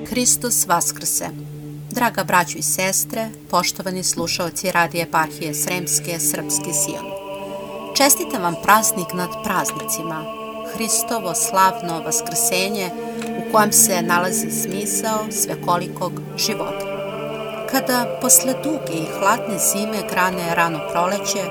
Hristos vaskrse! Draga braćo i sestre, poštovani slušaoci Radija Eparhije Sremske, Srpski Sion. Čestitam vam praznik nad praznicima, Hristovo slavno vaskrsenje u kojem se nalazi smisao svekolikog života. Kada posle duge i hladne zime grane rano proleće,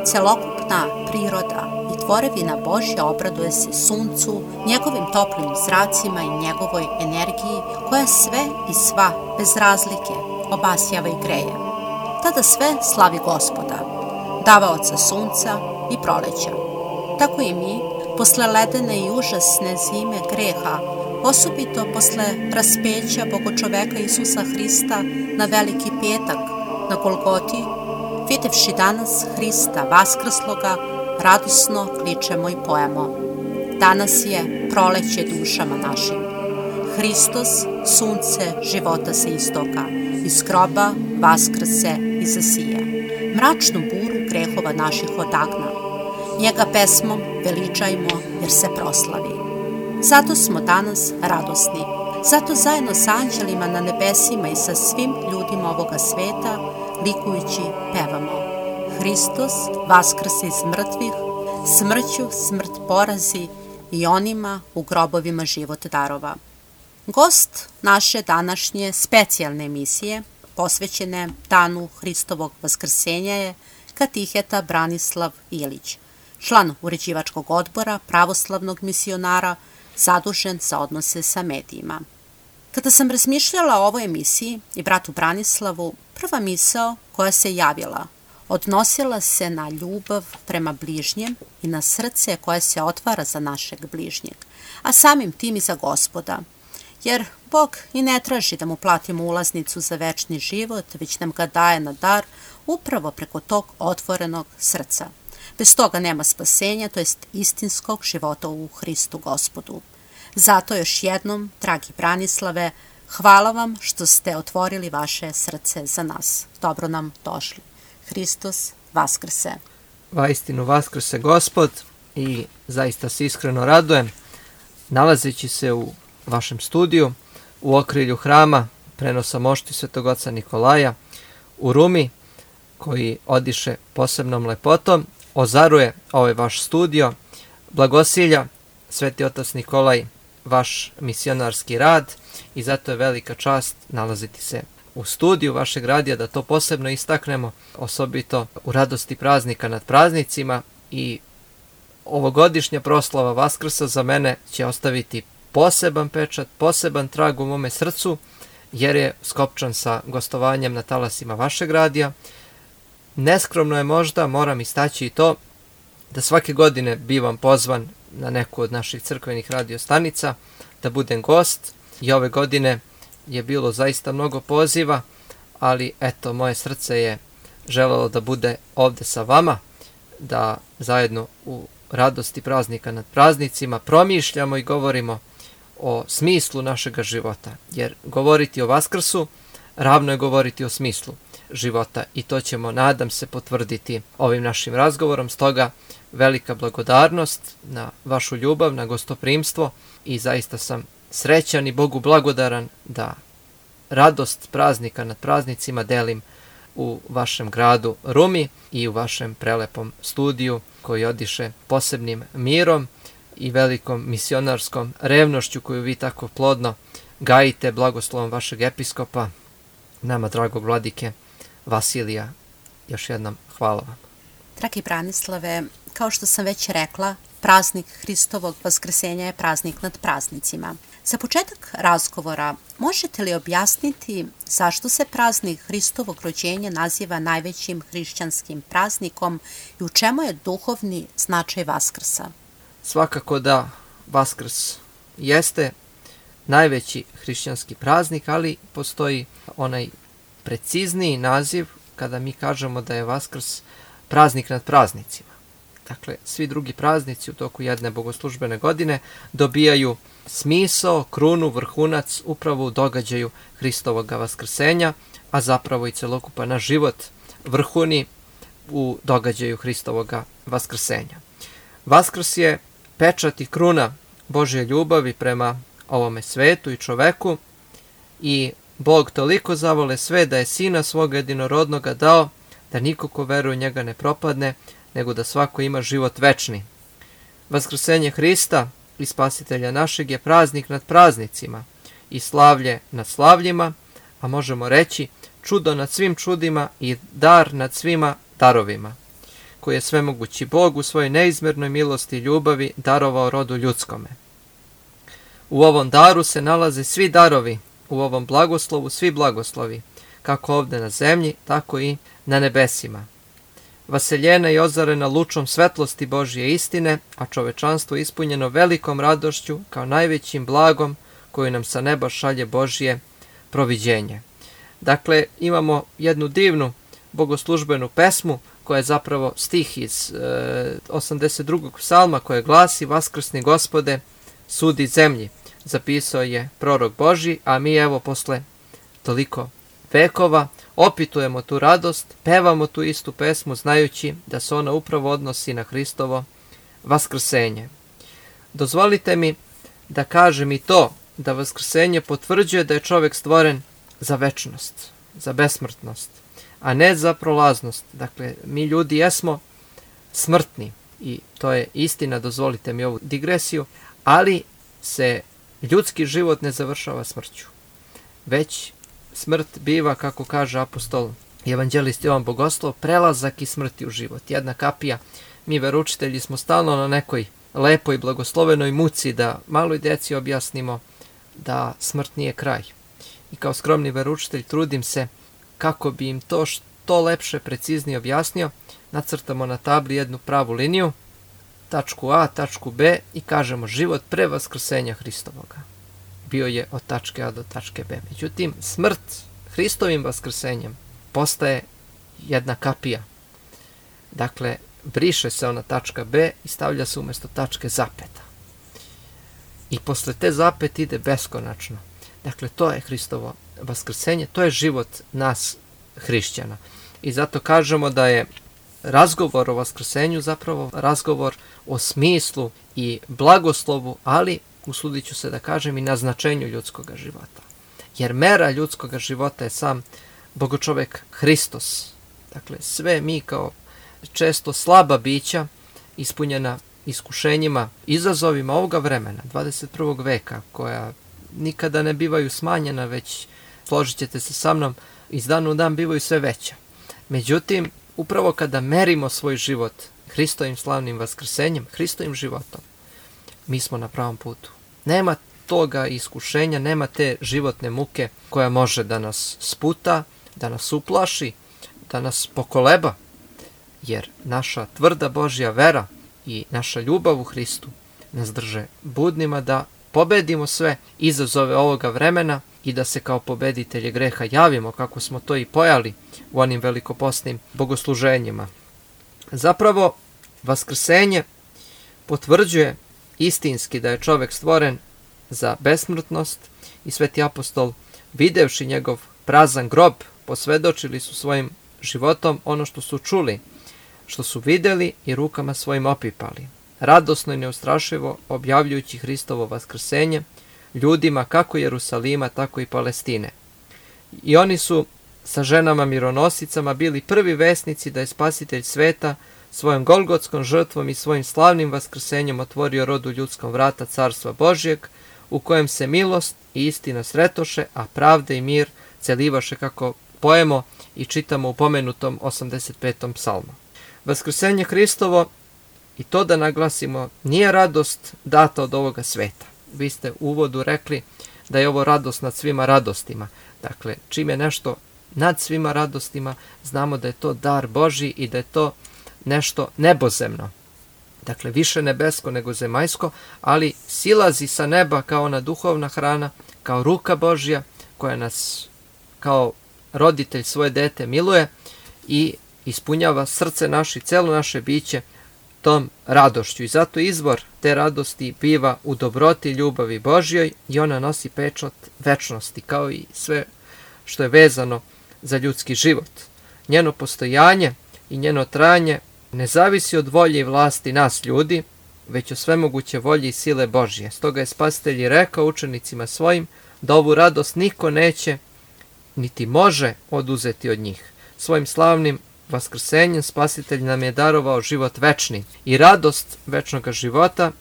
celokupna priroda i tvorevina Božja obraduje se suncu, njegovim toplim zracima i njegovoj energiji koja sve i sva, bez razlike, obasjava i greje. Tada sve slavi Gospoda, davaoca sunca i proleća. Tako i mi, posle ledene i užasne zime greha, osobito posle raspeća Bogočoveka Isusa Hrista na Veliki petak na Golgoti, videvši danas Hrista vaskrsloga, radosno kličemo i pojemo: danas je proleće dušama našim. Hristos, sunce života se istoka, iz groba vaskrse i zasija. Mračnu buru grehova naših odagna. Njega pesmom veličajmo jer se proslavi. Zato smo danas radosni. Zato zajedno sa anđelima na nebesima i sa svim ljudima ovoga sveta likujući pevamo: Hristos vaskrse iz mrtvih, smrću smrt porazi i onima u grobovima život darova. Gost naše današnje specijalne emisije, posvećene danu Hristovog vaskrsenja, je katiheta Branislav Ilić, član uređivačkog odbora pravoslavnog misionara zadužen za odnose sa medijima. Kada sam razmišljala o ovoj emisiji i bratu Branislavu, prva misao koja se javila odnosila se na ljubav prema bližnjem i na srce koje se otvara za našeg bližnjeg, a samim tim i za Gospoda. Jer Bog i ne traži da mu platimo ulaznicu za večni život, već nam ga daje na dar upravo preko tog otvorenog srca. Bez toga nema spasenja, to jest istinskog života u Hristu Gospodu. Zato još jednom, dragi Branislave, hvala vam što ste otvorili vaše srce za nas. Dobro nam došli. Hristos vaskrse! Vaistinu vaskrse Gospod i zaista se iskreno radujem nalazeći se u vašem studiju u okrilju hrama prenosa mošti Svetog oca Nikolaja u Rumi, koji odiše posebnom lepotom, ozaruje ovaj vaš studio, blagosilja Sveti otac Nikolaj vaš misionarski rad i zato je velika čast nalaziti se u studiju vašeg radija, da to posebno istaknemo, osobito u radosti praznika nad praznicima. I ovogodišnja proslava Vaskrsa za mene će ostaviti poseban pečat, poseban trag u mome srcu, jer je skopčan sa gostovanjem na talasima vašeg radija. Neskromno je možda, moram istaći i to, da svake godine bivam pozvan na neku od naših crkvenih radiostanica da budem gost, i ove godine je bilo zaista mnogo poziva, ali eto, moje srce je želelo da bude ovde sa vama, da zajedno u radosti praznika nad praznicima promišljamo i govorimo o smislu našega života, jer govoriti o Vaskrsu ravno je govoriti o smislu života i to ćemo, nadam se, potvrditi ovim našim razgovorom. Stoga velika blagodarnost na vašu ljubav, na gostoprimstvo i zaista sam srećan i Bogu blagodaran da radost praznika nad praznicima delim u vašem gradu Rumi i u vašem prelepom studiju koji odiše posebnim mirom i velikom misionarskom revnošću koju vi tako plodno gajite blagoslovom vašeg episkopa, nama dragog vladike Vasilija. Još jednom hvala vam. Dragi Branislave, kao što sam već rekla, praznik Hristovog vaskrsenja je praznik nad praznicima. Za početak razgovora, možete li objasniti zašto se praznik Hristovog rođenja naziva najvećim hrišćanskim praznikom i u čemu je duhovni značaj Vaskrsa? Svakako da Vaskrs jeste najveći hrišćanski praznik, ali postoji onaj precizniji naziv kada mi kažemo da je Vaskrs praznik nad praznicima. Dakle, svi drugi praznici u toku jedne bogoslužbene godine dobijaju smisao, krunu, vrhunac upravo u događaju Hristovog vaskrsenja, a zapravo i celokupan naš život vrhuni u događaju Hristovog vaskrsenja. Vaskrs je pečat i kruna Božje ljubavi prema ovome svetu i čoveku i Bog toliko zavole sve da je Sina svoga jedinorodnoga dao, da niko ko veruje u njega ne propadne, nego da svako ima život večni. Vaskrsenje Hrista i Spasitelja našeg je praznik nad praznicima i slavlje nad slavljima, a možemo reći čudo nad svim čudima i dar nad svima darovima, koji je svemogući Bog u svojoj neizmjernoj milosti i ljubavi darovao rodu ljudskome. U ovom daru se nalaze svi darovi, u ovom blagoslovu svi blagoslovi, kako ovdje na zemlji, tako i na nebesima. Vaseljena i ozarena lučom svetlosti Božje istine, a čovečanstvo ispunjeno velikom radošću kao najvećim blagom koju nam sa neba šalje Božje proviđenje. Dakle, imamo jednu divnu bogoslužbenu pesmu koja je zapravo stih iz 82. psalma koje glasi: Vaskrsni Gospode, sudi zemlji. Zapisao je prorok Božji, a mi evo posle toliko vekova opitujemo tu radost, pevamo tu istu pesmu znajući da se ona upravo odnosi na Hristovo vaskrsenje. Dozvolite mi da kažem i to da vaskrsenje potvrđuje da je čovjek stvoren za večnost, za besmrtnost, a ne za prolaznost. Dakle, mi ljudi jesmo smrtni i to je istina, dozvolite mi ovu digresiju, ali se ljudski život ne završava smrću, već smrt biva, kako kaže apostol i evanđelist Jovan Bogoslov, prelazak iz smrti u život. Jedna kapija. Mi veroučitelji smo stalno na nekoj lepoj blagoslovenoj muci da maloj djeci objasnimo da smrt nije kraj. I kao skromni veroučitelj trudim se kako bi im to što lepše, preciznije objasnio. Nacrtamo na tabli jednu pravu liniju, tačku A, tačku B i kažemo život pre vaskrsenja Hristovoga bio je od tačke A do tačke B. Međutim, smrt Hristovim vaskrsenjem postaje jedna kapija. Dakle, briše se ona tačka B i stavlja se umjesto tačke zapeta. I posle te zapete ide beskonačno. Dakle, to je Hristovo vaskrsenje, to je život nas hrišćana. I zato kažemo da je razgovor o vaskrsenju zapravo razgovor o smislu i blagoslovu, ali usudit ću se da kažem i na značenju ljudskog života. Jer mera ljudskog života je sam Bogočovek Hristos. Dakle, sve mi kao često slaba bića, ispunjena iskušenjima, izazovima ovoga vremena, 21. veka, koja nikada ne bivaju smanjena, već, složit ćete se sa mnom, iz dana u dan bivaju sve veća. Međutim, upravo kada merimo svoj život Hristovim slavnim vaskrsenjem, Hristovim životom, mi smo na pravom putu. Nema toga iskušenja, nema te životne muke koja može da nas sputa, da nas uplaši, da nas pokoleba, jer naša tvrda Božja vera i naša ljubav u Hristu nas drže budnima da pobedimo sve izazove ovoga vremena i da se kao pobeditelji greha javimo, kako smo to i pojali u onim velikoposnim bogosluženjima. Zapravo, vaskrsenje potvrđuje istinski da je čovjek stvoren za besmrtnost i sveti apostol, videvši njegov prazan grob, posvedočili su svojim životom ono što su čuli, što su vidjeli i rukama svojim opipali, radosno i neustrašivo objavljujući Hristovo vaskrsenje ljudima kako Jerusalima, tako i Palestine. I oni su sa ženama mironosicama bili prvi vesnici da je Spasitelj sveta svojom golgotskom žrtvom i svojim slavnim vaskrsenjem otvorio rodu ljudskom vrata Carstva Božjeg, u kojem se milost i istina sretoše, a pravda i mir celivaše, kako pojemo i čitamo u pomenutom 85. psalmu. Vaskrsenje Hristovo, i to da naglasimo, nije radost data od ovoga sveta. Vi ste u uvodu rekli da je ovo radost nad svima radostima. Dakle, čim je nešto nad svima radostima, znamo da je to dar Božji i da je to nešto nebozemno. Dakle, više nebesko nego zemaljsko, ali silazi sa neba kao ona duhovna hrana, kao ruka Božja koja nas kao roditelj svoje dete miluje i ispunjava srce naše i celo naše biće tom radošću. I zato izvor te radosti biva u dobroti i ljubavi Božjoj i ona nosi pečat večnosti, kao i sve što je vezano za ljudski život. Njeno postojanje i njeno trajanje ne zavisi od volje i vlasti nas ljudi, već od svemoguće volje i sile Božje. Stoga je Spasitelj rekao učenicima svojim: da ovu radost niko neće niti može oduzeti od njih. Svojim slavnim vaskrsenjem Spasitelj nam je darovao život večni i radost večnog života,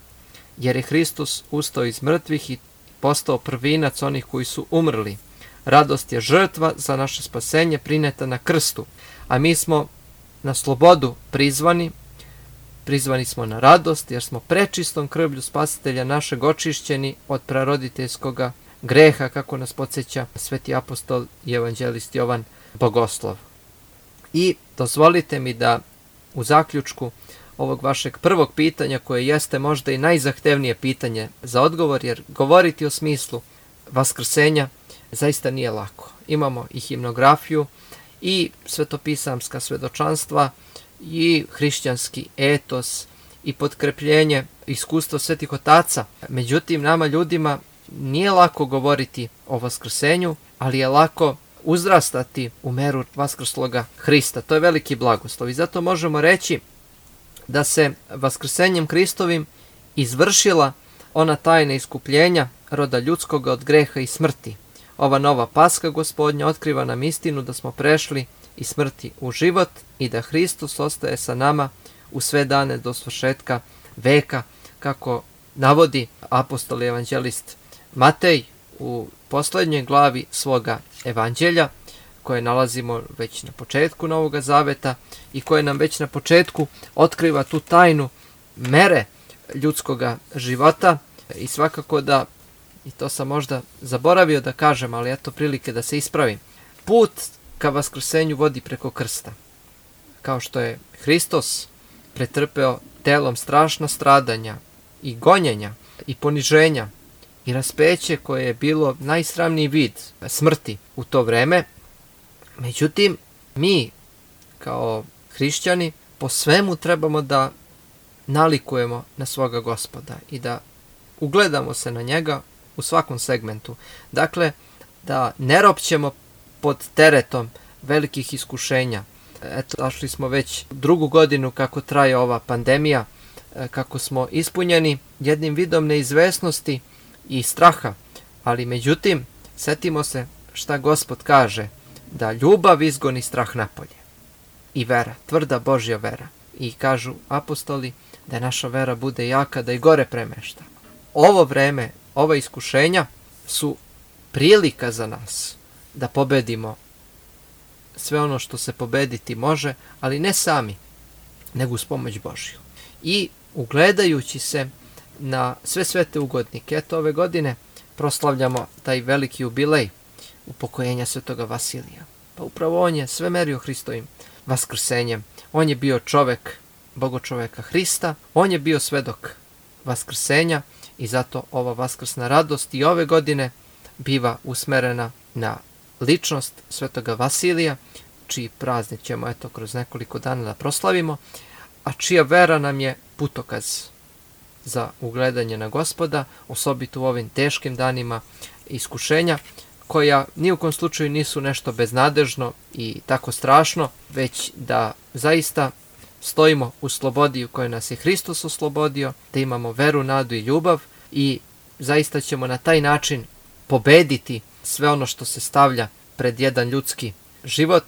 jer je Hristos ustao iz mrtvih i postao prvinac onih koji su umrli. Radost je žrtva za naše spasenje prineta na krstu, a mi smo na slobodu prizvani smo na radost, jer smo prečistom krvlju Spasitelja našeg očišćeni od praroditeljskog greha, kako nas podsjeća sveti apostol i evanđelist Jovan Bogoslov. I dozvolite mi da u zaključku ovog vašeg prvog pitanja, koje jeste možda i najzahtevnije pitanje za odgovor, jer govoriti o smislu vaskrsenja zaista nije lako. Imamo i himnografiju i svetopisamska svedočanstva i hrišćanski etos i potkrepljenje iskustva svetih otaca. Međutim, nama ljudima nije lako govoriti o vaskrsenju, ali je lako uzrastati u meru vaskrsloga Hrista. To je veliki blagoslov i zato možemo reći da se vaskrsenjem Hristovim izvršila ona tajna iskupljenja roda ljudskoga od greha i smrti. Ova nova Paska Gospodnja otkriva nam istinu da smo prešli iz smrti u život i da Hristos ostaje sa nama u sve dane do svršetka veka, kako navodi apostol i evanđelist Matej u posljednjoj glavi svoga evanđelja, koje nalazimo već na početku Novoga Zaveta i koje nam već na početku otkriva tu tajnu mere ljudskoga života. I svakako da, i to sam možda zaboravio da kažem, ali eto prilike da se ispravim, put ka vaskrsenju vodi preko krsta. Kao što je Hristos pretrpeo telom strašna stradanja i gonjenja i poniženja i raspeće koje je bilo najsramniji vid smrti u to vreme. Međutim, mi kao hrišćani po svemu trebamo da nalikujemo na svoga Gospoda i da ugledamo se na njega u svakom segmentu. Dakle, da ne ropćemo pod teretom velikih iskušenja. Eto, došli smo već drugu godinu kako traje ova pandemija, kako smo ispunjeni jednim vidom neizvesnosti i straha, ali međutim, setimo se šta Gospod kaže, da ljubav izgoni strah napolje. I vera, tvrda Božja vera. I kažu apostoli da naša vera bude jaka, da i gore premešta. Ovo vreme, ova iskušenja su prilika za nas da pobedimo sve ono što se pobediti može, ali ne sami, nego uz pomoć Božju. I ugledajući se na sve svete ugodnike, eto ove godine proslavljamo taj veliki jubilej upokojenja svetoga Vasilija. Pa upravo on je sve merio Hristovim vaskrsenjem. On je bio čovek, bogočoveka Hrista, on je bio svedok vaskrsenja i zato ova vaskrsna radost i ove godine biva usmerena na ličnost svetoga Vasilija, čiji praznik ćemo eto kroz nekoliko dana da proslavimo, a čija vera nam je putokaz za ugledanje na Gospoda, osobito u ovim teškim danima iskušenja, koja ni u kom slučaju nisu nešto beznadežno i tako strašno, već da zaista stojimo u slobodi u kojoj nas je Hristos oslobodio, da imamo veru, nadu i ljubav i zaista ćemo na taj način pobediti sve ono što se stavlja pred jedan ljudski život.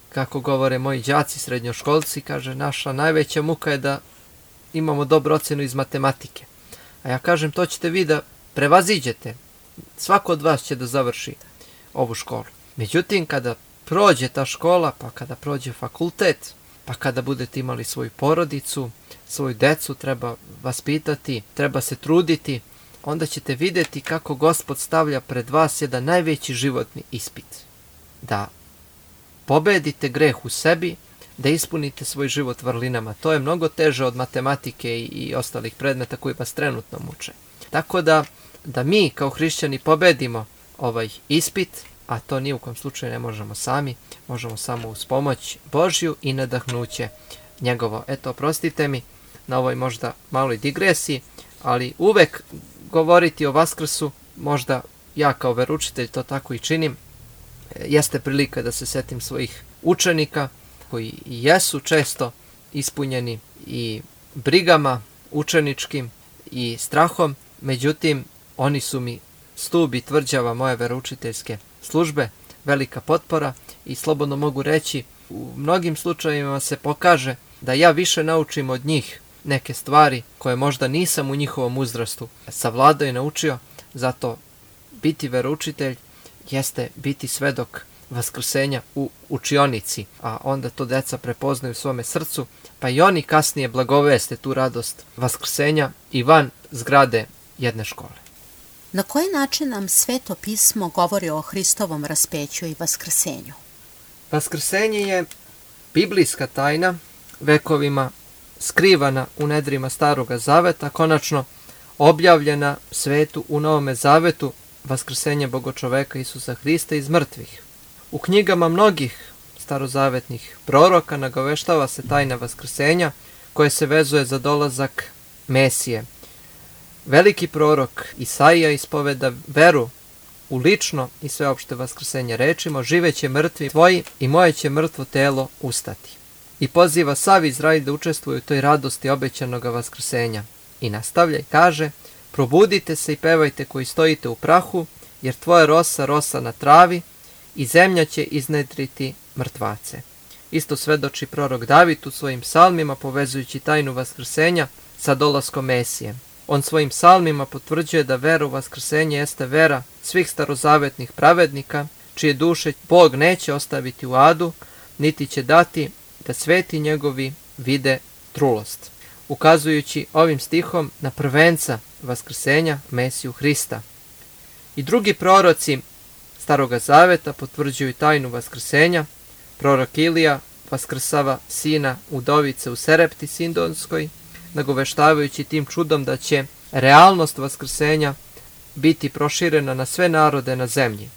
Kako govore moji đaci srednjoškolci, kaže, naša najveća muka je da imamo dobru ocjenu iz matematike. A ja kažem, to ćete vi da prevaziđete. Svako od vas će da završi ovu školu. Međutim, kada prođe ta škola, pa kada prođe fakultet, pa kada budete imali svoju porodicu, svoju decu, treba vaspitati, treba se truditi, onda ćete vidjeti kako Gospod stavlja pred vas jedan najveći životni ispit. Da pobedite greh u sebi, da ispunite svoj život vrlinama. To je mnogo teže od matematike i ostalih predmeta koji vas trenutno muče. Tako da mi kao hrišćani pobedimo ovaj ispit, a to ni u kom slučaju ne možemo sami, možemo samo uz pomoć Božju i nadahnuće njegovo. Eto, oprostite mi na ovoj možda maloj digresiji, ali uvek govoriti o Vaskrsu, možda ja kao veroučitelj to tako i činim, jeste prilika da se setim svojih učenika koji jesu često ispunjeni i brigama učeničkim i strahom, međutim oni su mi stub i tvrđava moje veroučiteljske službe, velika potpora i slobodno mogu reći, u mnogim slučajevima se pokaže da ja više naučim od njih neke stvari koje možda nisam u njihovom uzrastu savladao i naučio. Zato biti veroučitelj jeste biti svedok vaskrsenja u učionici, a onda to deca prepoznaju u svome srcu, pa i oni kasnije blagoveste tu radost vaskrsenja i van zgrade jedne škole. Na koji način nam Sveto pismo govori o Hristovom raspeću i vaskrsenju? Vaskrsenje je biblijska tajna, vekovima skrivana u nedrima Staroga zaveta, konačno objavljena svetu u Novome zavetu, vaskrsenje Bogočoveka Isusa Hrista iz mrtvih. U knjigama mnogih starozavetnih proroka nagoveštava se tajna vaskrsenja koje se vezuje za dolazak Mesije. Veliki prorok Isaija ispoveda veru u lično i sveopšte vaskrsenje rečima: živeće mrtvi tvoji i moje će mrtvo telo ustati. I poziva sav Izrael da učestvuje u toj radosti obećanog vaskrsenja. I nastavlja i kaže: probudite se i pevajte koji stojite u prahu, jer tvoja rosa na travi i zemlja će iznedriti mrtvace. Isto svedoči prorok David u svojim psalmima, povezujući tajnu vaskrsenja sa dolaskom Mesije. On svojim psalmima potvrđuje da vera u vaskrsenje jeste vera svih starozavetnih pravednika, čije duše Bog neće ostaviti u adu, niti će dati da sveti njegovi vide trulost, ukazujući ovim stihom na prvenca vaskrsenja Mesiju Hrista. I drugi proroci Staroga zaveta potvrđuju tajnu vaskrsenja. Prorok Ilija vaskrsava sina udovice u Serepti Sidonskoj, nagoveštavajući tim čudom da će realnost vaskrsenja biti proširena na sve narode na zemlji.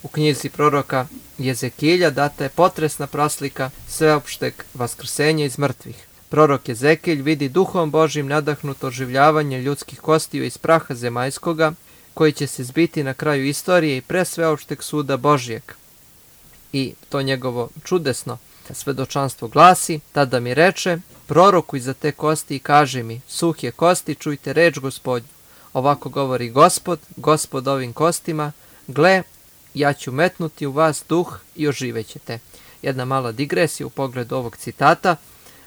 U knjizi proroka Jezekilja data je potresna praslika sveopšteg vaskrsenja iz mrtvih. Prorok Jezekilj vidi Duhom Božjim nadahnuto oživljavanje ljudskih kostiju iz praha zemaljskoga, koji će se zbiti na kraju istorije i pre sveopšteg suda Božjeg. I to njegovo čudesno svedočanstvo glasi: tada mi reče, prorokuj za te kosti i kaži mi, suhje kosti, čujte reč Gospodnju. Ovako govori Gospod ovim kostima, gle, ja ću metnuti u vas duh i oživećete. Jedna mala digresija u pogledu ovog citata,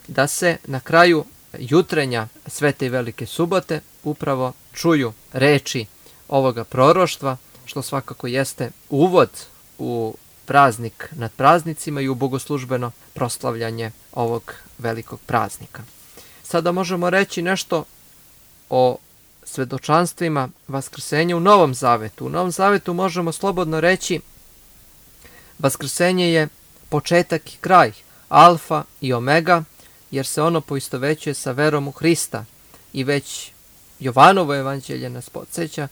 da se na kraju jutrenja Svete i Velike subote upravo čuju reči ovoga proroštva, što svakako jeste uvod u praznik nad praznicima i u bogoslužbeno proslavljanje ovog velikog praznika. Sada možemo reći nešto o svedočanstvima vaskrsenja u Novom zavetu. U Novom zavetu možemo slobodno reći: vaskrsenje je početak i kraj, alfa i omega, jer se ono poistovećuje sa verom u Hrista. I već Jovanovo evanđelje nas podsjeća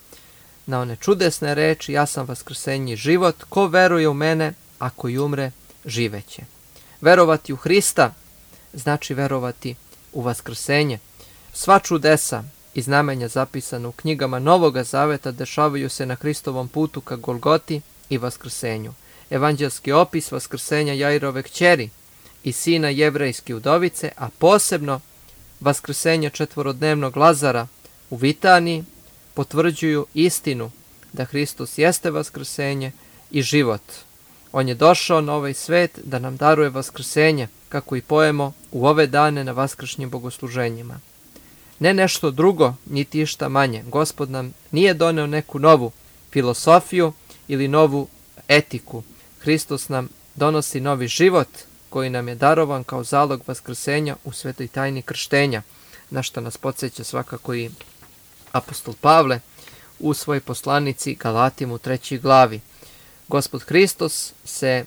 na one čudesne reči: ja sam vaskrsenje i život, ko veruje u mene, ako i umre, živeće. Verovati u Hrista znači verovati u vaskrsenje. Sva čudesa i znamenja zapisana u knjigama Novoga zaveta dešavaju se na Hristovom putu ka Golgoti i vaskrsenju. Evanđelski opis vaskrsenja Jairove kćeri i sina jevrejske udovice, a posebno vaskrsenja četvorodnevnog Lazara u Vitaniji, potvrđuju istinu da Hristos jeste vaskrsenje i život. On je došao na ovaj svet da nam daruje vaskrsenje, kako i pojemo u ove dane na vaskršnjim bogosluženjima. Ne nešto drugo, niti išta manje. Gospod nam nije doneo neku novu filosofiju ili novu etiku. Hristos nam donosi novi život koji nam je darovan kao zalog vaskrsenja u svetoj tajni krštenja, na što nas podsjeća svakako i apostol Pavle u svojoj poslanici Galatima u 3. glavi. Gospod Hristos se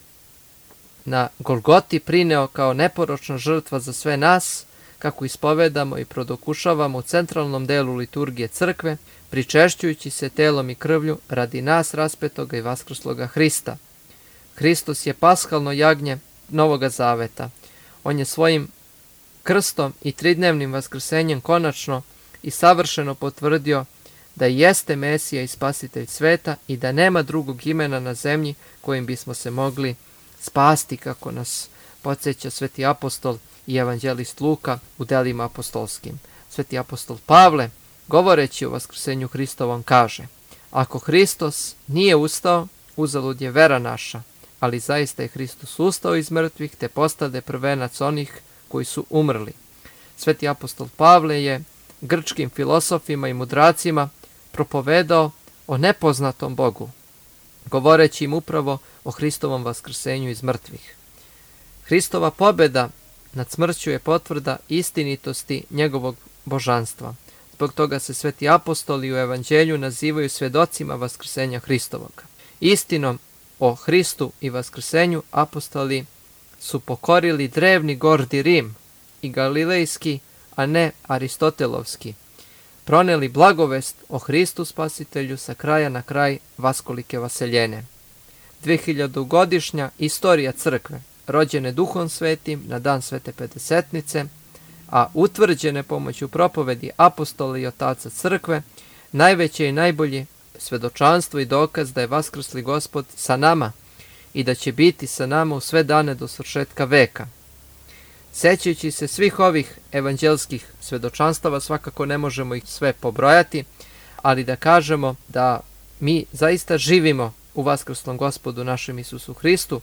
na Golgoti prineo kao neporočna žrtva za sve nas, kako ispovedamo i prodokušavamo u centralnom delu liturgije crkve, pričešćujući se telom i krvlju radi nas raspetoga i vaskrsloga Hrista. Hristos je paskalno jagnje Novoga zaveta. On je svojim krstom i tridnevnim vaskrsenjem konačno i savršeno potvrdio da jeste Mesija i spasitelj sveta i da nema drugog imena na zemlji kojim bismo se mogli spasti, kako nas podsjeća sveti apostol i evanđelist Luka u delima apostolskim. Sveti apostol Pavle, govoreći o vaskrsenju Hristovom, kaže: Ako Hristos nije ustao, uzalud je vera naša, ali zaista je Hristos ustao iz mrtvih, te postade prvenac onih koji su umrli. Sveti apostol Pavle je grčkim filosofima i mudracima propovedao o nepoznatom Bogu, govoreći im upravo o Hristovom vaskrsenju iz mrtvih. Hristova pobjeda nad smrću je potvrda istinitosti njegovog božanstva. Zbog toga se sveti apostoli u evanđelju nazivaju svjedocima vaskrsenja Hristovog. Istinom o Hristu i vaskrsenju apostoli su pokorili drevni gordi Rim i galilejski, a ne aristotelovski, proneli blagovest o Hristu Spasitelju sa kraja na kraj vaskolike vaseljene. 2000-godišnja istorija crkve, rođene Duhom Svetim na dan Svete Pedesetnice, a utvrđene pomoću propovedi apostola i otaca crkve, najveće i najbolje svedočanstvo i dokaz da je vaskrsli Gospod sa nama i da će biti sa nama u sve dane do svršetka veka. Sećajući se svih ovih evanđelskih svedočanstava, svakako ne možemo ih sve pobrojati, ali da kažemo da mi zaista živimo u vaskrslom Gospodu našem Isusu Hristu,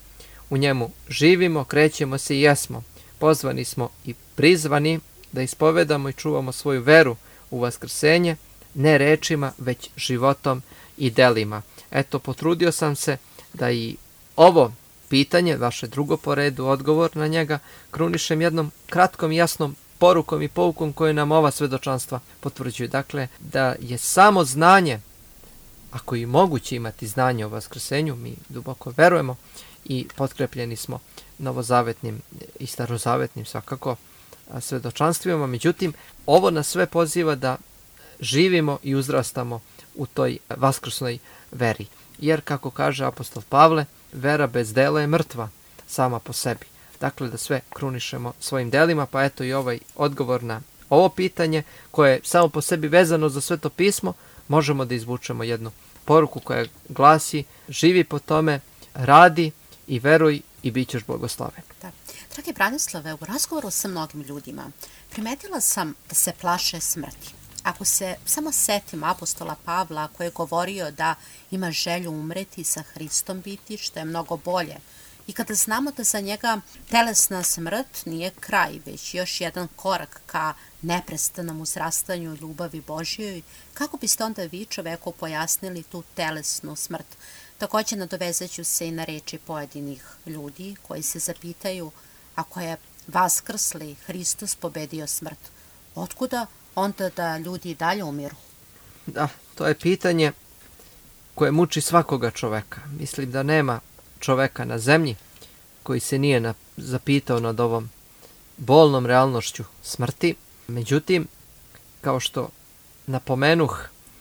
u njemu živimo, krećemo se i jesmo. Pozvani smo i prizvani da ispovedamo i čuvamo svoju veru u vaskrsenje, ne rečima, već životom i delima. Eto, potrudio sam se da i ovo pitanje, vaše drugo po redu, odgovor na njega, krunišem jednom kratkom i jasnom porukom i poukom koje nam ova svedočanstva potvrđuju. Dakle, da je samo znanje, ako i moguće imati znanje o vaskrsenju, mi duboko verujemo i potkrepljeni smo novozavetnim i starozavetnim svakako svedočanstvima. Međutim, ovo nas sve poziva da živimo i uzrastamo u toj vaskrsnoj veri. Jer, kako kaže apostol Pavle, vera bez dela je mrtva sama po sebi. Dakle, da sve krunišemo svojim delima, pa eto i ovaj odgovor na ovo pitanje, koje je samo po sebi vezano za Sveto pismo, možemo da izvučemo jednu poruku koja glasi: živi po tome, radi i veruj i bit ćeš blagosloven. Da. Dragi Branislave, u razgovoru sa mnogim ljudima primetila sam da se plaše smrti. Ako se samo setim apostola Pavla koji je govorio da ima želju umreti sa Hristom biti, što je mnogo bolje, i kada znamo da za njega telesna smrt nije kraj, već još jedan korak ka neprestanom uzrastanju ljubavi Božjoj, kako biste onda vi čoveku pojasnili tu telesnu smrt? Također nadovezaću se i na reči pojedinih ljudi koji se zapitaju, ako je vaskrsli Hristos pobedio smrt, otkuda onda da ljudi dalje umiru? Da, to je pitanje koje muči svakoga čoveka. Mislim da nema čoveka na zemlji koji se nije zapitao nad ovom bolnom realnošću smrti. Međutim, kao što napomenuh,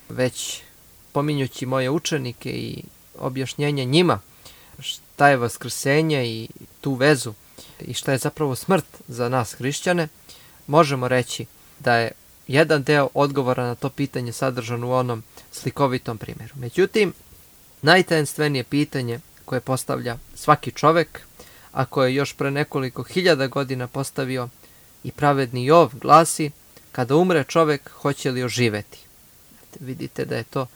već pominjući moje učenike i objašnjenje njima šta je vaskrsenje i tu vezu i šta je zapravo smrt za nas hrišćane, možemo reći da je jedan deo odgovora na to pitanje sadržan u onom slikovitom primjeru. Međutim, najtajenstvenije pitanje koje postavlja svaki čovek, a koje je još pre nekoliko hiljada godina postavio i pravedni Jov, glasi: kada umre čovek, hoće li oživeti? Vidite da je to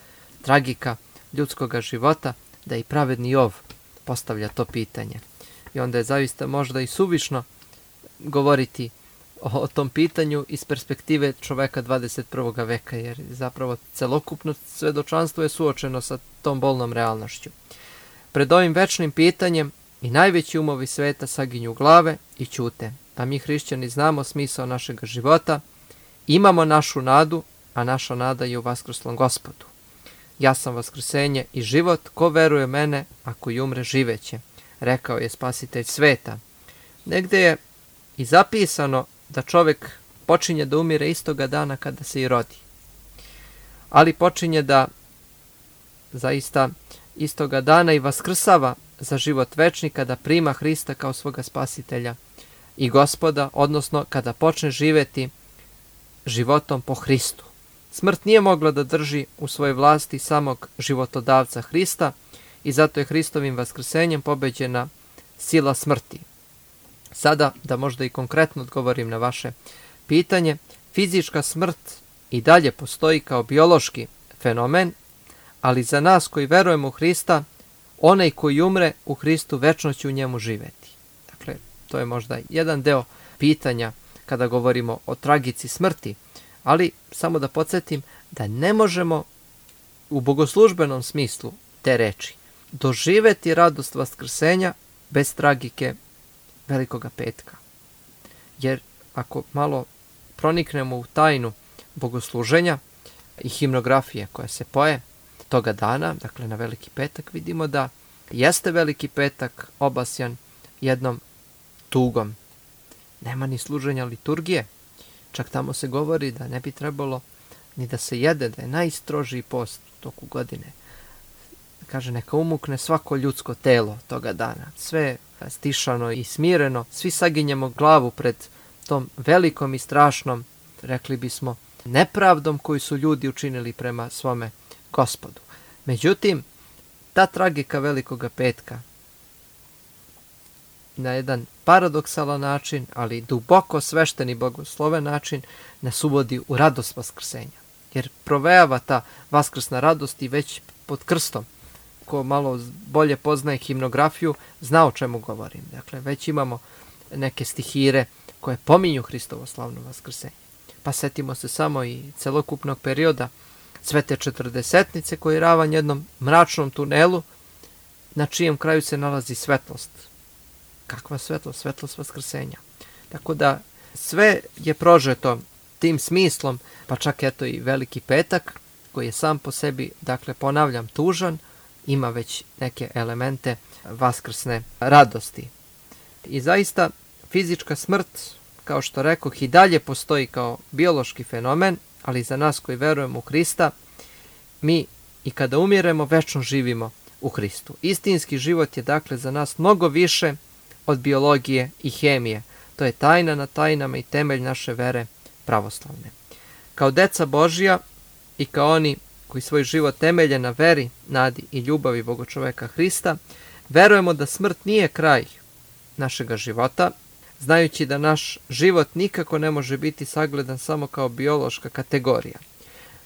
tragika ljudskog života, da i pravedni Jov postavlja to pitanje. I onda je zaista možda i suvišno govoriti o tom pitanju iz perspektive čoveka 21. veka, jer zapravo celokupno svedočanstvo je suočeno sa tom bolnom realnošću. Pred ovim večnim pitanjem i najveći umovi sveta saginju glave i ćute, a mi hrišćani znamo smisao našeg života, imamo našu nadu, a naša nada je u vaskrslom Gospodu. Ja sam vaskrsenje i život, ko veruje mene, ako i umre, živeće, rekao je Spasitelj sveta. Negde je i zapisano da čovjek počinje da umire istoga dana kada se i rodi. Ali počinje da zaista istoga dana i vaskrsava za život večni kada prima Hrista kao svoga Spasitelja i Gospoda, odnosno kada počne živjeti životom po Hristu. Smrt nije mogla da drži u svojoj vlasti samog životodavca Hrista i zato je Hristovim vaskrsenjem pobeđena sila smrti. Sada, da možda i konkretno odgovorim na vaše pitanje, fizička smrt i dalje postoji kao biološki fenomen, ali za nas koji verujemo u Hrista, onaj koji umre u Hristu večno će u njemu živeti. Dakle, to je možda jedan deo pitanja kada govorimo o tragici smrti, ali samo da podsjetim da ne možemo u bogoslužbenom smislu te reči doživeti radost vaskrsenja bez tragike Velikoga petka. Jer ako malo proniknemo u tajnu bogosluženja i himnografije koja se poje toga dana, dakle na Veliki petak, vidimo da jeste Veliki petak obasjan jednom tugom. Nema ni služenja liturgije. Čak tamo se govori da ne bi trebalo ni da se jede, da je najstrožiji post u toku godine. Kaže, neka umukne svako ljudsko telo toga dana. Sve stišano i smireno. Svi saginjemo glavu pred tom velikom i strašnom, rekli bismo, nepravdom koju su ljudi učinili prema svome Gospodu. Međutim, ta tragika Velikoga petka na jedan paradoksalan način, ali duboko svešten i blagosloven način, nas uvodi u radost vaskrsenja. Jer provejava ta vaskrsna radost i već pod krstom. Ko malo bolje poznaje himnografiju, zna o čemu govorim. Dakle, već imamo neke stihire koje pominju Hristovo slavno vaskrsenje. Pa setimo se samo i celokupnog perioda Svete četrdesetnice koji je ravan jednom mračnom tunelu na čijem kraju se nalazi svetlost. Kakva svetlost? Svetlost vaskrsenja. Tako da sve je prožeto tim smislom, pa čak eto i Veliki petak koji je sam po sebi, dakle ponavljam, tužan, ima već neke elemente vaskrsne radosti. I zaista fizička smrt, kao što rekoh, i dalje postoji kao biološki fenomen, ali za nas koji verujemo u Hrista, mi i kada umiremo večno živimo u Hristu. Istinski život je dakle za nas mnogo više od biologije i hemije. To je tajna na tajnama i temelj naše vere pravoslavne. Kao deca Božja i kao oni koji svoj život temelje na veri, nadi i ljubavi Bogočoveka Hrista, verujemo da smrt nije kraj našega života, znajući da naš život nikako ne može biti sagledan samo kao biološka kategorija.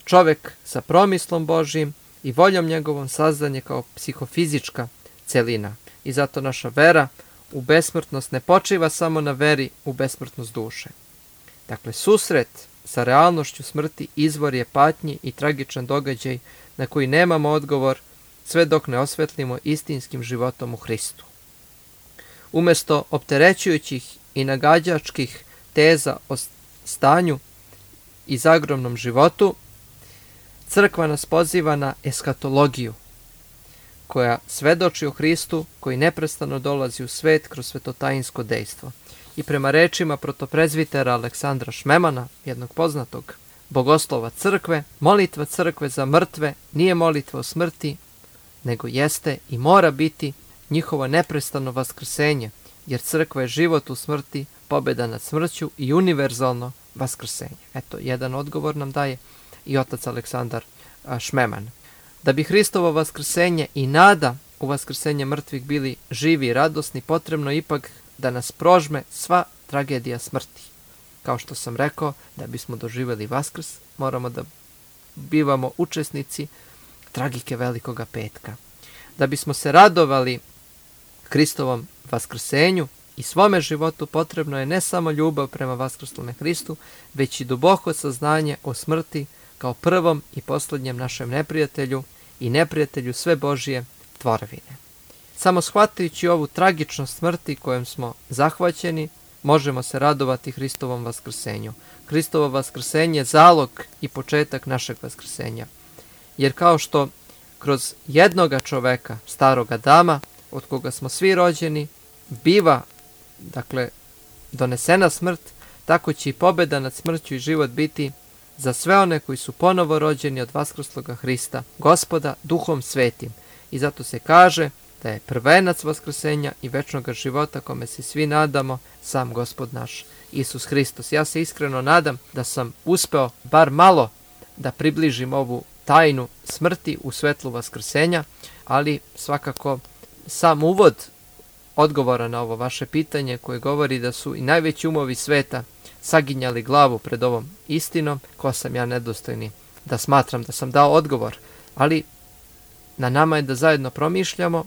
Čovek sa promislom Božjim i voljom njegovom sazdan je kao psihofizička celina. I zato naša vera u besmrtnost ne počiva samo na veri u besmrtnost duše. Dakle, susret sa realnošću smrti izvor je patnji i tragičan događaj na koji nemamo odgovor sve dok ne osvetlimo istinskim životom u Hristu. Umjesto opterećujućih i nagađačkih teza o stanju i zagrobnom životu, crkva nas poziva na eskatologiju, koja svedoči o Hristu koji neprestano dolazi u svet kroz svetotajinsko dejstvo. I prema rečima protoprezvitera Aleksandra Šmemana, jednog poznatog bogoslova crkve, molitva crkve za mrtve nije molitva o smrti, nego jeste i mora biti njihovo neprestano vaskrsenje, jer crkva je život u smrti, pobjeda nad smrću i univerzalno vaskrsenje. Eto, jedan odgovor nam daje i otac Aleksandar Šmeman. Da bi Hristovo vaskrsenje i nada u vaskrsenje mrtvih bili živi i radosni, potrebno ipak da nas prožme sva tragedija smrti. Kao što sam rekao, da bismo doživjeli Vaskrs, moramo da bivamo učesnici tragike Velikoga petka. Da bismo se radovali Hristovom vaskrsenju i svome životu, potrebno je ne samo ljubav prema vaskrslome Hristu, već i duboko saznanje o smrti kao prvom i posljednjem našem neprijatelju i neprijatelju sve Božje tvorevine. Samo shvatajući ovu tragičnost smrti kojom smo zahvaćeni, možemo se radovati Hristovom vaskrsenju. Hristovo vaskrsenje je zalog i početak našeg vaskrsenja. Jer kao što kroz jednoga čoveka, staroga Adama, od koga smo svi rođeni, biva, dakle, donesena smrt, tako će i pobjeda nad smrću i život biti za sve one koji su ponovo rođeni od vaskrsloga Hrista, Gospoda, Duhom Svetim. I zato se kaže da je prvenac vaskrsenja i večnog života kome se svi nadamo sam Gospod naš, Isus Hristos. Ja se iskreno nadam da sam uspeo bar malo da približim ovu tajnu smrti u svetlu vaskrsenja, ali svakako sam uvod odgovora na ovo vaše pitanje koje govori da su i najveći umovi sveta saginjali glavu pred ovom istinom, ko sam ja nedostojni da smatram da sam dao odgovor. Ali Na nama je da zajedno promišljamo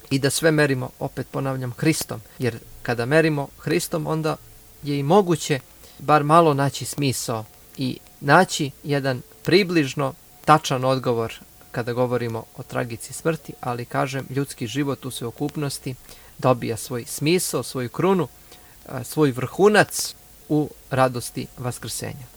i da sve merimo, opet ponavljam, Hristom. Jer kada merimo Hristom, onda je i moguće bar malo naći smisao i naći jedan približno tačan odgovor kada govorimo o tragici smrti, ali kažem, ljudski život u sveokupnosti dobija svoj smisao, svoju krunu, svoj vrhunac u radosti vaskrsenja.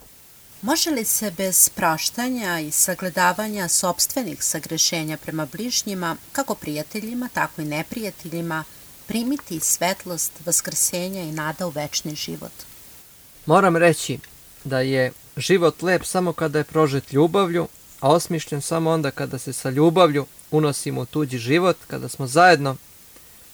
Može li se bez praštanja i sagledavanja sopstvenih sagrešenja prema bližnjima, kako prijateljima, tako i neprijateljima, primiti svetlost vaskrsenja i nada u večni život? Moram reći da je život lep samo kada je prožet ljubavlju, a osmišljen samo onda kada se sa ljubavlju unosimo u tuđi život, kada smo zajedno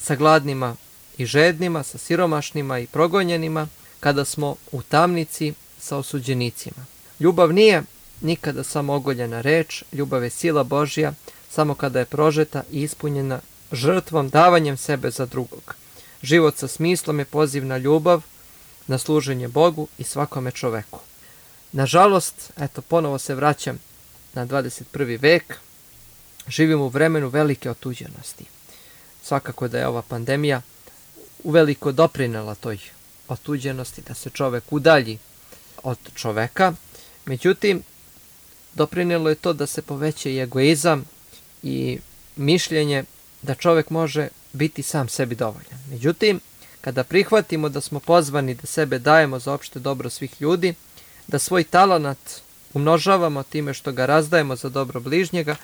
sa gladnima i žednima, sa siromašnima i progonjenima, kada smo u tamnici sa osuđenicima. Ljubav nije nikada samo ogoljena reč, ljubav je sila Božja samo kada je prožeta i ispunjena žrtvom, davanjem sebe za drugog. Život sa smislom je poziv na ljubav, na služenje Bogu i svakome čoveku. Nažalost, ponovo se vraćam na 21. vek, živimo u vremenu velike otuđenosti. Svakako da je ova pandemija uveliko doprinela toj otuđenosti, da se čovek udalji od čoveka. Međutim, doprinelo je to da se poveća i egoizam i mišljenje da čovek može biti sam sebi dovoljan. Međutim, kada prihvatimo da smo pozvani da sebe dajemo za opšte dobro svih ljudi, da svoj talenat umnožavamo time što ga razdajemo za dobro bližnjega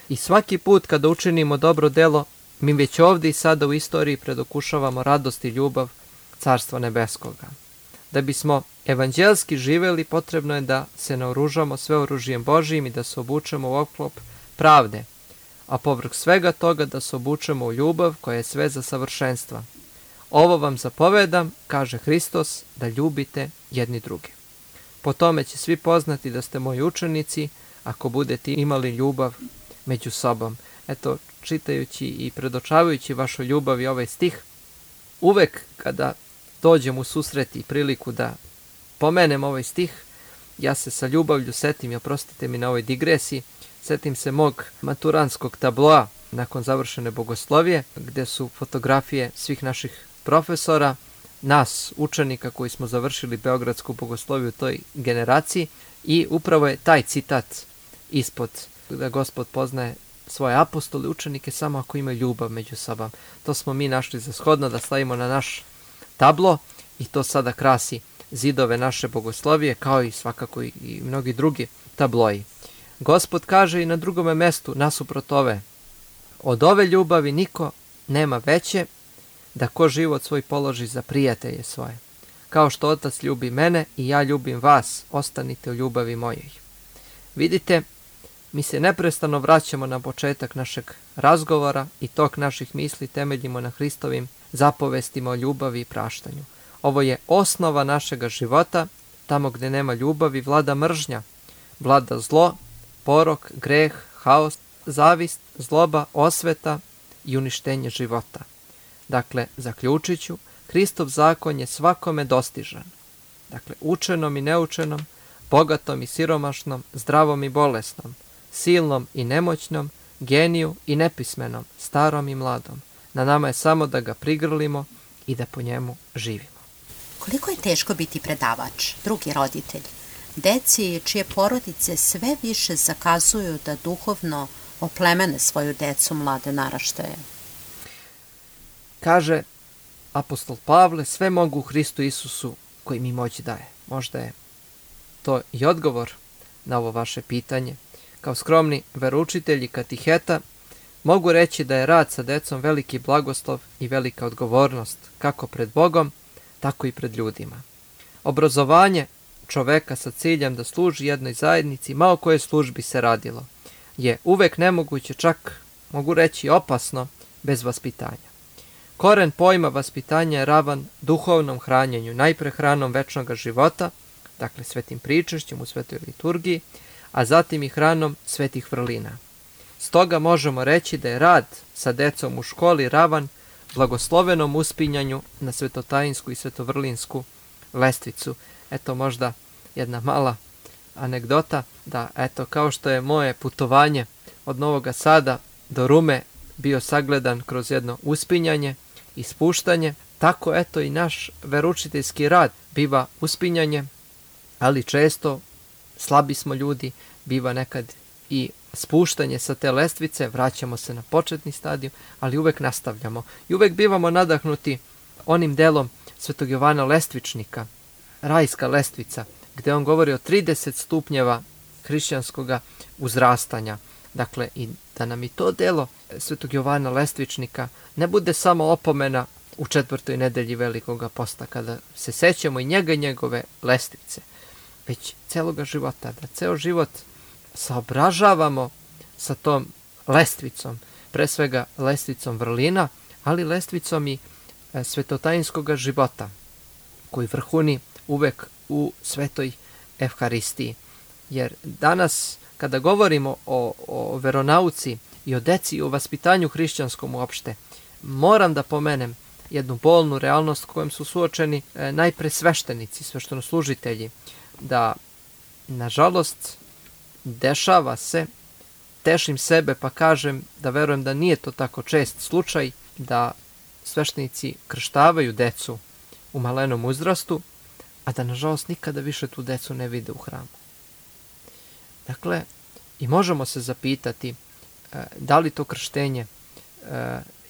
i svaki put kada učinimo dobro delo, mi već ovdje i sada u istoriji predokušavamo radost i ljubav Carstva nebeskoga. Da bismo evanđelski živeli, potrebno je da se naoružamo sve oružjem Božijim i da se obučemo u oklop pravde, a povrh svega toga da se obučemo u ljubav koja je sve za savršenstva. Ovo vam zapovedam, kaže Hristos, da ljubite jedni druge. Po tome će svi poznati da ste moji učenici, ako budete imali ljubav među sobom. Čitajući i predočavajući vašu ljubav i ovaj stih, uvek kada dođem u susret i priliku da pomenem ovaj stih, ja se sa ljubavlju setim, i oprostite mi na ovoj digresiji, setim se mog maturanskog tabloa nakon završene bogoslovije, gde su fotografije svih naših profesora, nas, učenika koji smo završili Beogradsku bogosloviju u toj generaciji, i upravo je taj citat ispod, da Gospod poznaje svoje apostole, učenike samo ako imaju ljubav među sobom. To smo mi našli za shodno da stavimo na naš tablo i to sada krasi zidove naše bogoslovije, kao i svakako i mnogi drugi tabloji. Gospod kaže i na drugome mestu, nasuprot ove: od ove ljubavi niko nema veće, da ko život svoj položi za prijatelje svoje. Kao što Otac ljubi mene i ja ljubim vas, ostanite u ljubavi mojoj. Vidite, mi se neprestano vraćamo na početak našeg razgovora i tok naših misli temeljimo na Hristovim zapovestima o ljubavi i praštanju. Ovo je osnova našega života. Tamo gde nema ljubavi vlada mržnja, vlada zlo, porok, greh, haos, zavist, zloba, osveta i uništenje života. Dakle, zaključit ću, Hristov zakon je svakome dostižan. Dakle, učenom i neučenom, bogatom i siromašnom, zdravom i bolesnom, silnom i nemoćnom, geniju i nepismenom, starom i mladom. Na nama je samo da ga prigrlimo i da po njemu živimo. Koliko je teško biti predavač, drugi roditelj, deci čije porodice sve više zakazuju da duhovno oplemene svoju decu, mlade naraštaje? Kaže apostol Pavle, sve mogu u Hristu Isusu koji mi moć daje. Možda je to i odgovor na ovo vaše pitanje. Kao skromni veroučitelj i katiheta mogu reći da je rad sa decom veliki blagoslov i velika odgovornost, kako pred Bogom, tako i pred ljudima. Obrazovanje čoveka sa ciljem da služi jednoj zajednici, ma o kojoj službi se radilo, je uvek nemoguće, čak mogu reći opasno, bez vaspitanja. Koren pojma vaspitanja je ravan duhovnom hranjenju, najpre hranom večnog života, dakle svetim pričešćem u svetoj liturgiji, a zatim i hranom svetih vrlina. Stoga možemo reći da je rad sa decom u školi ravan blagoslovenom uspinjanju na svetotajinsku i svetovrlinsku lestvicu. Eto možda jedna mala anegdota, da kao što je moje putovanje od Novoga Sada do Rume bio sagledan kroz jedno uspinjanje i spuštanje, tako eto i naš veroučiteljski rad biva uspinjanje, ali često slabi smo ljudi, biva nekad i spuštanje sa te lestvice, vraćamo se na početni stadijum, ali uvek nastavljamo. I uvek bivamo nadahnuti onim delom Svetog Jovana Lestvičnika, rajska lestvica, gde on govori o 30 stupnjeva hrišćanskog uzrastanja. Dakle, i da nam i to delo Svetog Jovana Lestvičnika ne bude samo opomena u 4. nedelji Velikoga posta, kada se sećamo i njega i njegove lestvice, već celoga života, da ceo život saobražavamo sa tom lestvicom, pre svega lestvicom vrlina, ali lestvicom i svetotajinskog života, koji vrhuni uvek u svetoj Evharistiji. Jer danas, kada govorimo o veronauci i o deci i o vaspitanju hrišćanskom uopšte, moram da pomenem jednu bolnu realnost kojom su suočeni najpre sveštenici, sveštenoslužitelji, da, nažalost, dešava se, tešim sebe pa kažem da verujem da nije to tako čest slučaj, da sveštenici krštavaju decu u malenom uzrastu, a da nažalost nikada više tu decu ne vide u hramu. Dakle, i možemo se zapitati da li to krštenje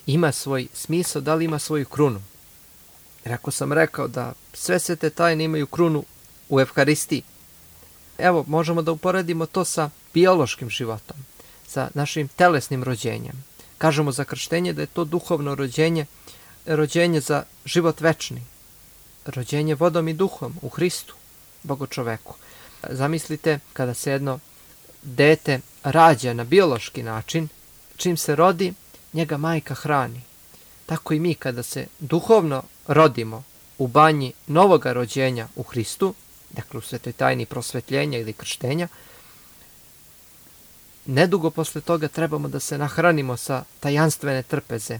ima svoj smisao, da li ima svoju krunu. Jer ako sam rekao da sve svete tajne imaju krunu u Evharistiji, evo, možemo da uporedimo to sa biološkim životom, sa našim telesnim rođenjem. Kažemo za krštenje da je to duhovno rođenje, rođenje za život večni, rođenje vodom i duhom u Hristu, Bogočoveku. Zamislite kada se jedno dete rađa na biološki način, čim se rodi, njega majka hrani. Tako i mi kada se duhovno rodimo u banji novoga rođenja u Hristu, dakle u svetoj tajni prosvetljenja ili krštenja, nedugo posle toga trebamo da se nahranimo sa tajanstvene trpeze,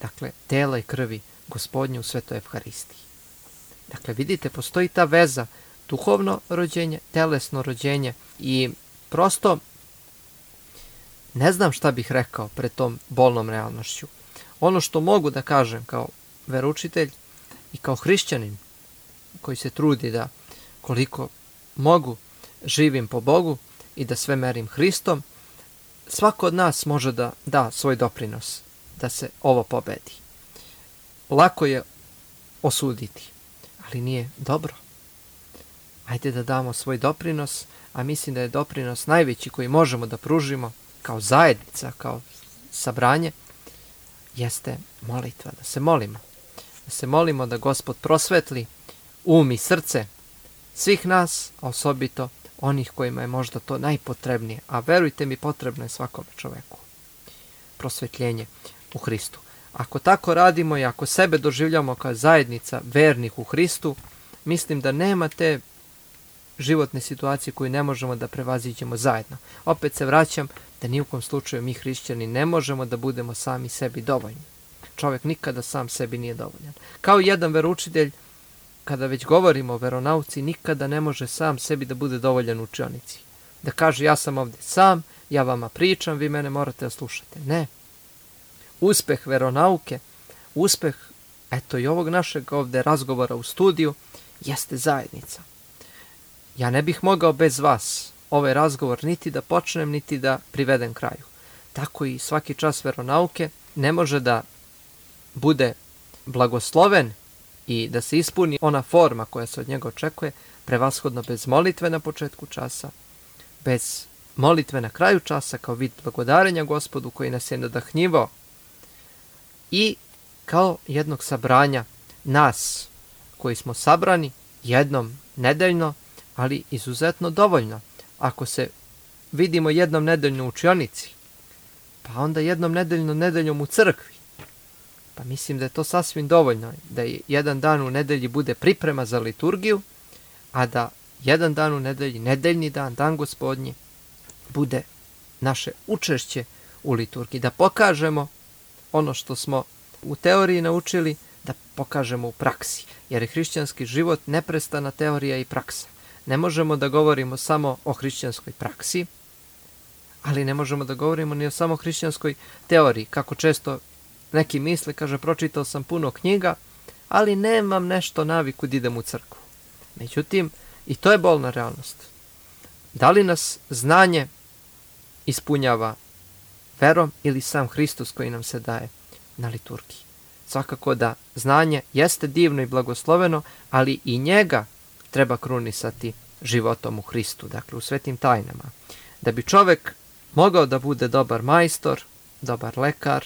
dakle tela i krvi Gospodnje u svetoj Evharistiji. Dakle, vidite, postoji ta veza, duhovno rođenje, telesno rođenje i prosto ne znam šta bih rekao pred tom bolnom realnošću. Ono što mogu da kažem kao veroučitelj i kao hrišćanin koji se trudi da koliko mogu živim po Bogu i da sve merim Hristom, svako od nas može da da svoj doprinos da se ovo pobedi. Lako je osuditi, ali nije dobro. Ajde da damo svoj doprinos, a mislim da je doprinos najveći koji možemo da pružimo kao zajednica, kao sabranje, jeste molitva, da se molimo. Da se molimo da Gospod prosvetli um i srce svih nas, a osobito onih kojima je možda to najpotrebnije, a verujte mi, potrebno je svakome čoveku. Prosvetljenje u Hristu. Ako tako radimo i ako sebe doživljamo kao zajednica vernih u Hristu, mislim da nema te životne situacije koju ne možemo da prevaziđemo zajedno. Opet se vraćam da ni u kom slučaju mi hrišćani ne možemo da budemo sami sebi dovoljni. Čovjek nikada sam sebi nije dovoljan. Kao jedan veroučitelj, kada već govorimo o veronauci, nikada ne može sam sebi da bude dovoljan u učionici. Da kaže, ja sam ovdje sam, ja vama pričam, vi mene morate da slušate. Ne. Uspeh veronauke, uspeh, eto i ovog našeg ovdje razgovora u studiju, jeste zajednica. Ja ne bih mogao bez vas ovaj razgovor niti da počnem, niti da privedem kraju. Tako i svaki čas veronauke ne može da bude blagosloven i da se ispuni ona forma koja se od njega očekuje, prevashodno bez molitve na početku časa, bez molitve na kraju časa kao vid blagodarenja Gospodu koji nas je nadahnjivao i kao jednog sabranja nas koji smo sabrani jednom nedeljno, ali izuzetno dovoljno. Ako se vidimo jednom nedeljno u učionici, pa onda jednom nedeljom u crkvi, pa mislim da je to sasvim dovoljno, da jedan dan u nedelji bude priprema za liturgiju, a da jedan dan u nedelji, nedeljni dan, dan Gospodnji, bude naše učešće u liturgiji, da pokažemo ono što smo u teoriji naučili, da pokažemo u praksi, jer je hrišćanski život neprestana teorija i praksa. Ne možemo da govorimo samo o hrišćanskoj praksi, Ali ne možemo da govorimo ni o samo hrišćanskoj teoriji, kako često neki misle, kaže, pročitao sam puno knjiga, ali nemam nešto naviku da idem u crkvu. Međutim, i to je bolna realnost. Da li nas znanje ispunjava verom ili sam Hristos koji nam se daje na liturgiji? Svakako da znanje jeste divno i blagosloveno, ali i njega treba krunisati životom u Hristu, dakle u svetim tajnama. Da bi čovek mogao da bude dobar majstor, dobar lekar,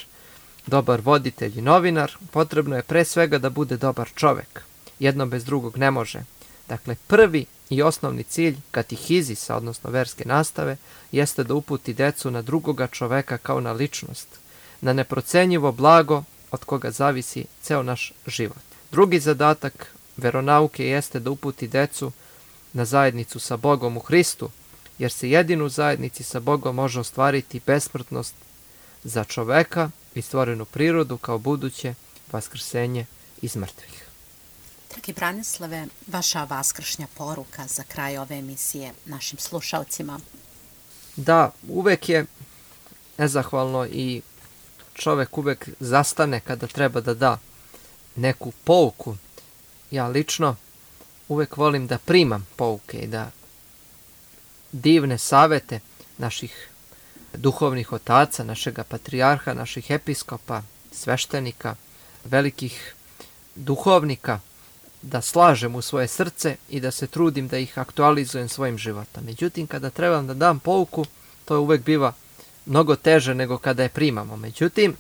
dobar voditelj i novinar, potrebno je pre svega da bude dobar čovek. Jedno bez drugog ne može. Dakle, prvi i osnovni cilj katihizisa, odnosno verske nastave, jeste da uputi decu na drugoga čoveka kao na ličnost, na neprocenjivo blago od koga zavisi ceo naš život. Drugi zadatak veronauke jeste da uputi decu na zajednicu sa Bogom u Hristu, jer se jedino u zajednici sa Bogom može ostvariti besmrtnost za čoveka i stvorenu prirodu kao buduće vaskrsenje iz mrtvih. Dragi Branislave, vaša vaskršnja poruka za kraj ove emisije našim slušalcima. Da, uvek je nezahvalno i čovek uvek zastane kada treba da da neku pouku. Ja lično uvek volim da primam pouke i da divne savete naših duhovnih otaca, našega patrijarha, naših episkopa, sveštenika, velikih duhovnika, da slažem u svoje srce i da se trudim da ih aktualizujem svojim životom. Međutim, kada trebam da dam pouku, to uvek biva mnogo teže nego kada je primamo. Međutim,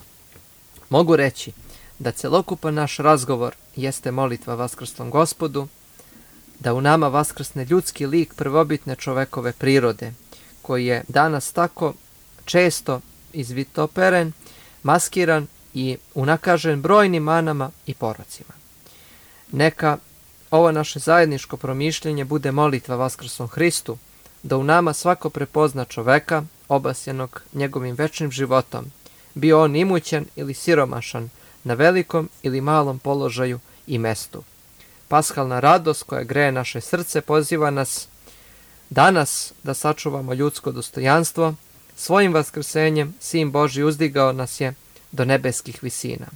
mogu reći da celokupan naš razgovor jeste molitva vaskrslom Gospodu, da u nama vaskrsne ljudski lik prvobitne čovekove prirode, koji je danas tako često izvitoperen, maskiran i unakažen brojnim manama i porocima. Neka ovo naše zajedničko promišljenje bude molitva vaskrslom Hristu, da u nama svako prepozna čoveka, obasjenog njegovim večnim životom, bio on imućan ili siromašan, na velikom ili malom položaju i mestu. Paskalna radost koja greje naše srce poziva nas danas da sačuvamo ljudsko dostojanstvo. Svojim vaskrsenjem Sin Božji uzdigao nas je do nebeskih visina.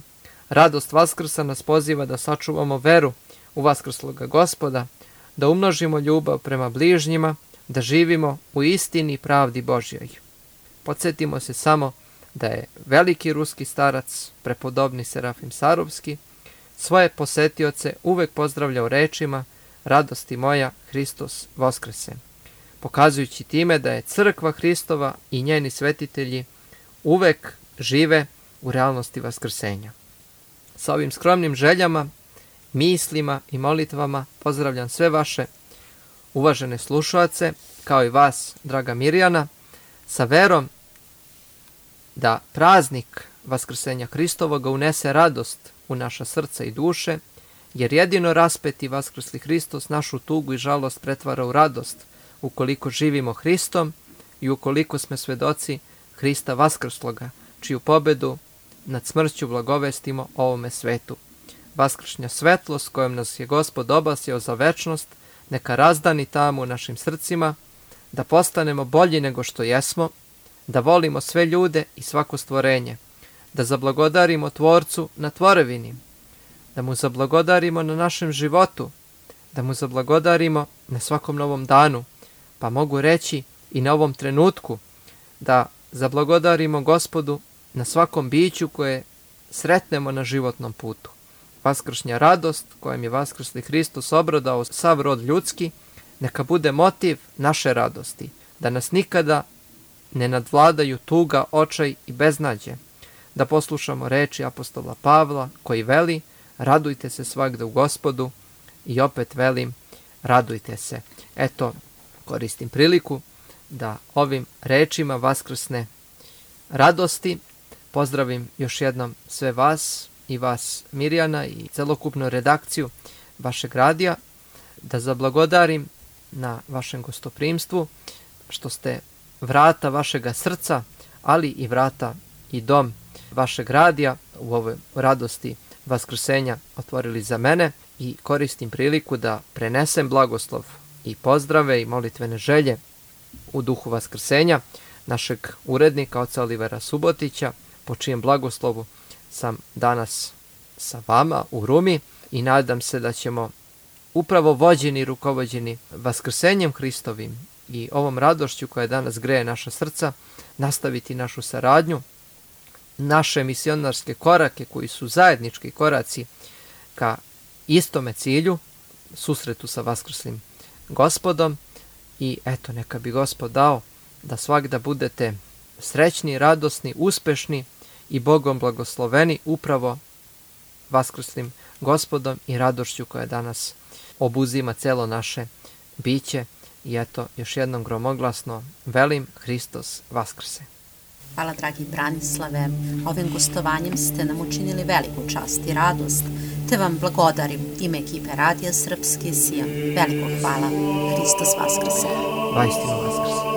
Radost Vaskrsa nas poziva da sačuvamo veru u vaskrsloga Gospoda, da umnožimo ljubav prema bližnjima, da živimo u istini i pravdi Božjoj. Podsjetimo se samo da je veliki ruski starac, prepodobni Serafim Sarovski, svoje posetioce uvek pozdravljao rečima radosti moja, Hristos Voskrese, pokazujući time da je crkva Hristova i njeni svetitelji uvek žive u realnosti vaskrsenja. Sa ovim skromnim željama, mislima i molitvama pozdravljam sve vaše uvažene slušaoce, kao i vas, draga Mirjana, sa verom da praznik Vaskrsenja Hristovoga unese radost u naša srca i duše, jer jedino raspeti vaskrsli Hristos našu tugu i žalost pretvara u radost ukoliko živimo Hristom i ukoliko smo svedoci Hrista vaskrsloga, čiju pobedu nad smrću blagovestimo ovome svetu. Vaskršnja svetlost kojom nas je Gospod obasjao za večnost, neka razdani tamo u našim srcima, da postanemo bolji nego što jesmo, da volimo sve ljude i svako stvorenje, da zablagodarimo Tvorcu na tvorevini, da mu zablagodarimo na našem životu, da mu zablagodarimo na svakom novom danu, pa mogu reći i na ovom trenutku, da zablagodarimo Gospodu na svakom biću koje sretnemo na životnom putu. Vaskršnja radost kojom je vaskrsli Hristos obradao sav rod ljudski, neka bude motiv naše radosti, da nas nikada ne nadvladaju tuga, očaj i beznađe, da poslušamo reči apostola Pavla koji veli radujte se svagda u Gospodu i opet velim radujte se. Eto, koristim priliku da ovim rečima vaskrsne radosti pozdravim još jednom sve vas i vas Mirjana i celokupnu redakciju vašeg radija, da zablagodarim na vašem gostoprimstvu što ste vrata vašega srca, ali i vrata i dom vašeg radija u ovoj radosti vaskrsenja otvorili za mene i koristim priliku da prenesem blagoslov i pozdrave i molitvene želje u duhu vaskrsenja našeg urednika, oca Olivera Subotića, po čijem blagoslovu sam danas sa vama u Rumi i nadam se da ćemo upravo vođeni i rukovođeni Vaskrsenjem Hristovim i ovom radošću koja danas greje naša srca, nastaviti našu saradnju, naše misionarske korake koji su zajednički koraci ka istome cilju, susretu sa Vaskrslim Gospodom. I eto, neka bi Gospod dao da svagda budete srećni, radosni, uspešni i Bogom blagosloveni upravo Vaskrslim Gospodom i radošću koja danas obuzima celo naše biće. I eto, još jednom gromoglasno velim, Hristos Vaskrse. Hvala, dragi Branislave. Ovim gostovanjem ste nam učinili veliku čast i radost, te vam blagodarim ime ekipe Radija Srpski Sion. Veliko hvala. Hristos Vaskrse. Vaistinu Vaskrse.